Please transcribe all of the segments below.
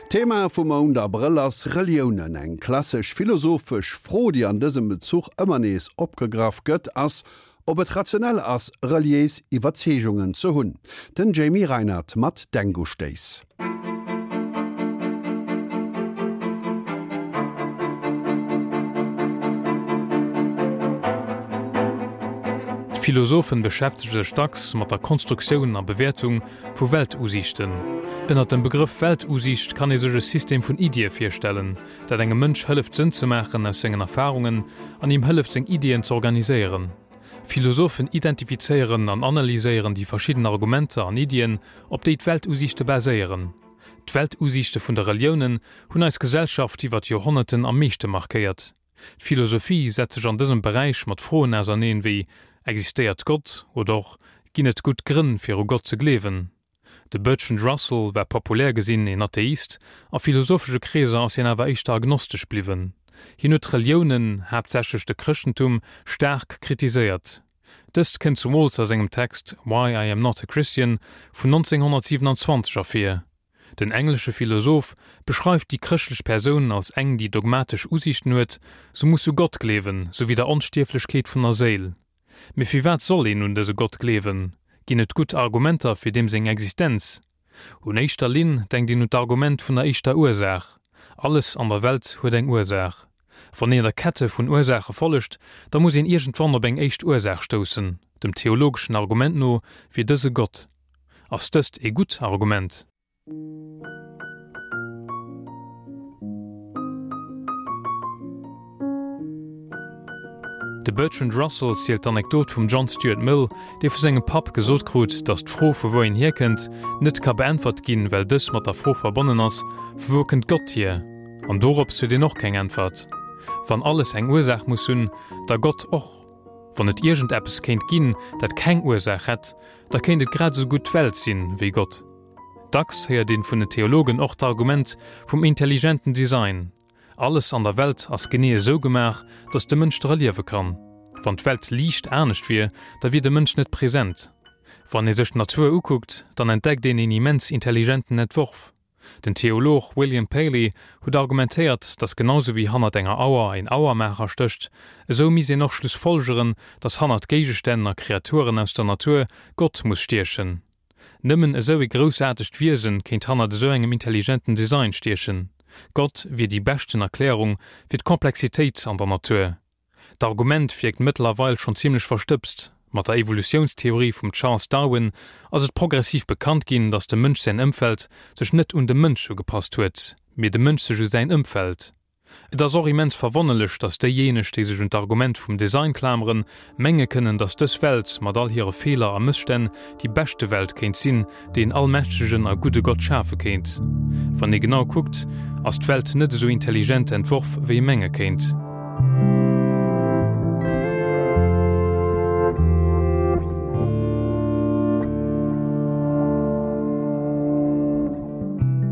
D'Thema vum Mount Abrëll ass Reliounen. Eng klassesch philosophesch Fro, déi an dësem Bezuch ëmmer nees opgegraff gëtt, ass, ob et rationell ass, reliéis Iwwerzeegungen ze hunn. Den Jamie Reinert mat Denkustéiss. D'Philosophen beschäftege sech dacks mat der Konstruktioun a Bewäertung vu Weltusiichten. Ënner dem Begrëff Weltusiicht kann ee sech e System vun Iddie virstellen, dat engem Mënsch hëlleft Sënn ze maachen aus sengen Erfarungen an him hëlleft seng Iddien z'organiséieren. Philosophen identifizéieren an analyséieren déi verschidden Argumenter an Iddien, op déi d'Weltusiichte baséieren. D'Weltusiichte vun de Reliounen hunn eis Gesellschaft iwwer d'Joerhonnerten am meeschte markéiert. D'Philosophie setzt sech an dësem Beräich mat Froen auserneen wéi, Existéiert Gott? oder och Ginn et gutt Grënn fir u Gott ze gleewen? De Bertrand Russell war populär gesinn een Atheist, a philosophesche Kreeser ass hien awer éischter agnostesch bliwwen. Hien huet d'Reliounen, haaptsächlech de Chrëschtentum, staark kritiséiert. Dëst kënnt zumools a sengem Text Why I Am Not a Christian vun 1927 ervir. Den englesche Philosoph beschreift déi chrëschtlech Persoun als eng, déi dogmatesch Usiichten huet, se muss u Gott gleewen, souwéi der Onstierflechkeet vun der Séil. Mee firwat soll een un dëse Gott gleewen? Ginn et gutt Argumenter fir deem seng Existenz? Un éischter Linn denkt een un d'Argument vun der éischter Ursaach, Alles an der Welt huet eng Ursaach. Wann een der Kette vun Ursaache follegt, da muss een iergendwann op eng éischt Ursaach stoussen. Dem theologeschen Argument no wier dëse Gott. Ass dëst ee gutt Argument? De Bertrand Russell zielt d'Anekdot vum John Stuart Mill, dee vu sengem Papp gesot krut, datt d'Fro vu wou een hierkënnt, net ka beäntwert ginn, well dës mat der Fro verbonnen ass, Vu wou kënnt Gott hier? An dorops huet een och keng Äntwert. Wann alles eng Ursaach muss hunn, da Gott och. Wann et iergendeppes kéint ginn, dat keng Ursaach hätt, da kéint et grad esou gutt d'Welt sinn, wéi Gott. Dacks héiert een vun den Theologen och d'Argument vum intelligenten Design, Alles an der Welt ass genee esou gemaach, datt de Mënsch dra liewe kann. Wann d'Welt liicht anescht wier, da wier de Mënsch net present. Wann ee sech d'Natur ukuckt, dann entdeckt een een immens intelligenten Entworf. Den Theolog William Paley huet argumentéiert, datt genau sou wéi hannert enger Auer een Auermaacher stécht, esou misst een och schlussfolgeren, datt hannert Géigestänn a Kreaturen aus der Natur Gott muss stiechen. Nëmmen esou ee groussaartegt Wiesen kéint hannert esou engem intelligenten Design stiechen. Gott wier déi beschten Erklärung fir d'Komplexitéit an der Natur. D'Argument wierkt mëttlerweil schonn zimmlech verstëbst. Mat der Evolutiounstheorie vum Charles Darwin ass et progressiv bekannt ginn, datt dem Mënsch säin Ëmfeld sech net un de Mënsch ugepasst huet, mee de Mënsch sech u säin Ëmfeld. Et ass och immens verwonnerlech, datt déijéineg, déi sech un d'Argument vum Design klameren, menge kënnen, datt dës Welt mat all hire Feeler a Mësstänn déi beschte Welt kéint sinn, déi en allmächtegen a gudde Gott schafe kéint. Wann ee genau kuckt, ass d'Welt net esou intelligent entworf, wéi ee menge kéint.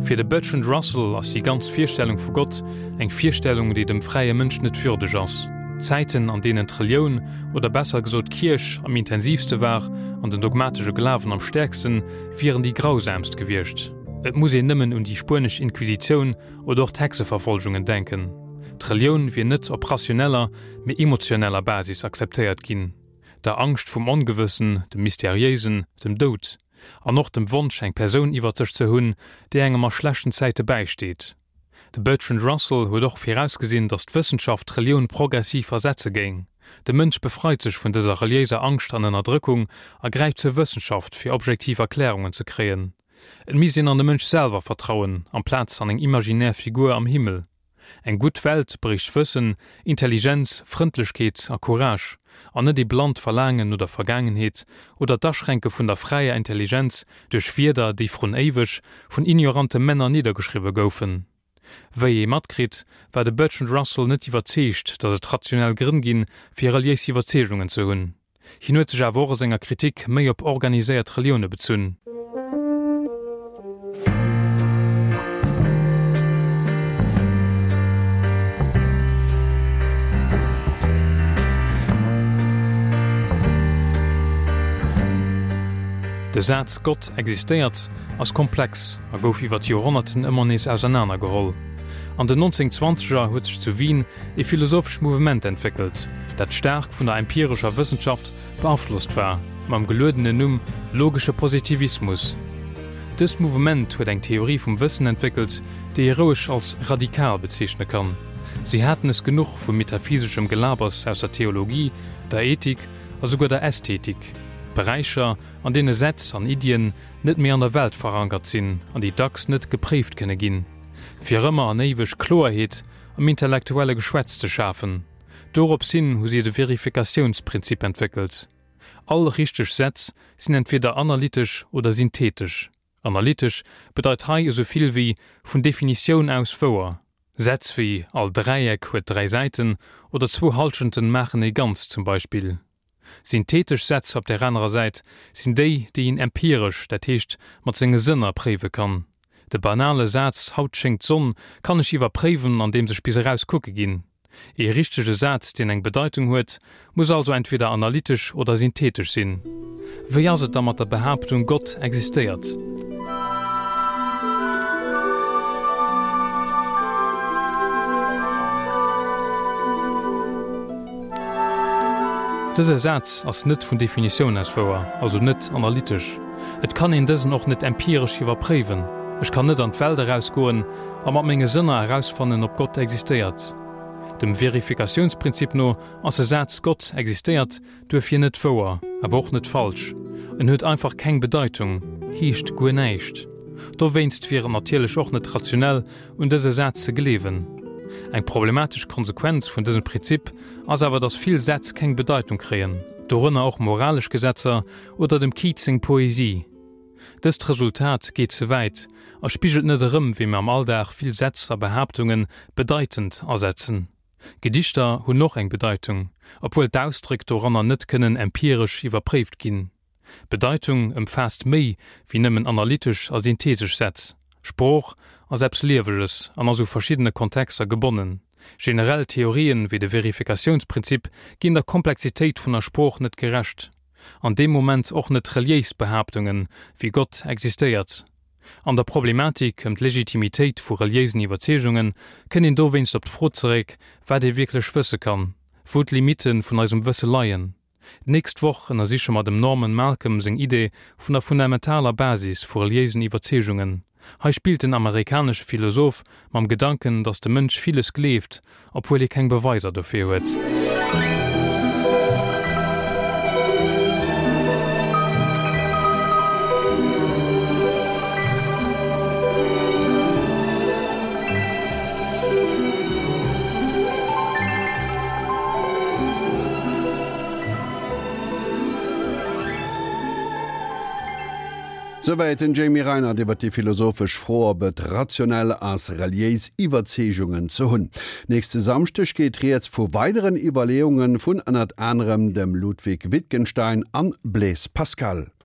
Fir de Bertrand Russell ass déi ganz Virstellung vu Gott eng Virstellung, déi dem fräie Mënsch net würdeg ass. D'Zäiten, an deenen d'Relioun, oder besser gesot d'Kierch, am intensiivste war an den dogmatesche Glawen am stäerksten, wieren déi grausaamst gewiescht. Et muss een nëmmen un déi spuenesch Inquisitioun oder och d'Hexeverfolgungen denken. D'Relioun wier net op rationeller, mee emotioneller Basis akzeptéiert ginn. Der Angscht vum Ongewëssen, dem Mysteriéisen, dem Doud. An och dem Wonsch, eng Persoun iwwert sech ze hunn, déi engem a schlechten Zäite bäisteet. De Bertrand Russell huet och virausgesinn, datt d'Wëssenschaft d'Relioun progressiv ersetze géing. De Mënsch befreit sech vun dëser reliéiser Angscht an Ënnerdrëckung a gräift zur Wëssenschaft, fir objektiv Erklärungen ze kréien. Et misst een an de Mënsch selwer vertrauen, amplaz an eng imaginär Figur am Himmel. Eng gutt Welt bréicht Wëssen, Intelligenz, Frëndlechkeet a Courage, an net ee blannt Verlaangen no der Vergaangenheet oder d'Aschränke vun der fräier Intelligenz duerch Wierder, déi vrun éiweg vun ignorante Männer niddergeschriwwe goufen. Wéi ee matkritt, war de Bertrand Russell net iwwerzeegt, datt et rationell Grënn ginn, fir reliéis Iwwerzeegungen ze hunn. Hien huet sech awer och a senger Kritik méi op organiséiert Relioune bezunn. De Saz Gott existéiert ass komplex a gouf iwwer d'Joerhonnerten ëmmer nees ausernaner geholl. An den 1920er huet sech zu Wien e philosophescht Mouvement entwéckelt, dat staark vun der empirescher Wëssenschaft beaflosst war, mam geluedenen Numm logesche Positivismus. Dëst Mouvement huet eng Theorie vum Wëssen entwéckelt, déi ee roueg als radikal bezeechne kann. Si haten es genuch vu metaphyseschem Gelabers aus der Theologie, der Ethik a souguer der Ästhetik, Beräicher, an deene Sätz an Iddien net méi an der Welt verankert sinn an déi dacks net gepréift kënne ginn, fir ëmmer an éiweg Kloerheet am intellektuelle Geschwätz ze schafen. Dorops hin hu si de Verifikatiounsprinzip entwéckelt. All richteg Sätz sinn entweder analytesch oder synthetesch. Analytesch bedeit hei esou vill wéi vun Definitioun aus wouer. Sätz wéi all Dräieck huet 3 Säiten oder zwou Hallschenten maachen ee Ganzt zum Beispill. Synthetesch Sätz op där anerer Säit sinn déi, déi een empiresch, dat heescht mat senge Sënner préiwe kann. De banale Saz Haut schéngt d'Sonn kann ech iwwerpréiwen andeems ech bis eraus kucke ginn. Ee richtege Saz, deen eng Bedeitung huet, muss also entweder analytesch oder synthetesch sinn. Wéi ass et da mat der Behaaptung Gott existéiert? Dëse Saz ass net vun Definitioun aus wouer, also net analytesch. Et kann een dësen och net empiresch iwwerpréiwen. Ech kann net an d'Welt erausgoen a mat menge Sënner erausfannen, ob Gott existéiert. Dem Verifikatiounsprinzip no ass e Saz Gott existéiert duerfir net wouer, awer och net falsch. En huet einfach keng Bedeitung, heescht guer näischt. Dowéinst wier et natierlech och net rationell, un dëse Saz ze gleewen. Eng problematesch Konsequenz vun dësem Prinzip ass awer, datt vill Sätz keng Bedeitung kréien, dorënner och moralesch Gesetzer oder dem Keats seng Poesie. Dëst Resultat geet ze wäit a spigelt net erëm, wéi mir am Alldag vill Sätz a Behaaptunge bedeitend asetzen. Gedichter hunn och eng Bedeitung, obwuel d'Ausdréck doranner net kënnen empiresch iwwerpréift ginn. Bedeitung ëmfaasst méi wéi nëmmen analytesch a synthetesch Sätz. Sprooch ass eppes Lieweges an ass u verschiddene Kontexter gebonnen. Generell Theorien, wéi de Verifikatiounsprinzip, ginn der Komplexitéit vun der Sprooch net gerecht. An deem Moment och net reliéis Behaaptungen, wéi Gott existéiert. An der Problematik ëm d'Legitimitéit vu reliéisen Iwwerzeegungen kënnt een dowéinst op d'Fro zeréck, wat ee wierklech wësse kann, wou d'Limitte vun eisem Wësse leien. D'nächst Woch ënnersiche mer dem Norman Malcolm seng Idee vun der fundamentaler Basis vu reliéisen Iwwerzeegungen. Hei spillt den amerikanesche Philosoph mam Gedanken, datt de Mënsch villes gleeft, obwuel hie keng Beweiser dofir huet. Souwäit den Jamie Reinert iwwer déi philosophesch Fro, ob et rationell ass, reliéis Iwwerzeegungen ze hunn. Nächste Samschdeg geet rieds vu weideren Iwwerleeunge vun ënnert anerem dem Ludwig Wittgenstein an Blaise Pascal.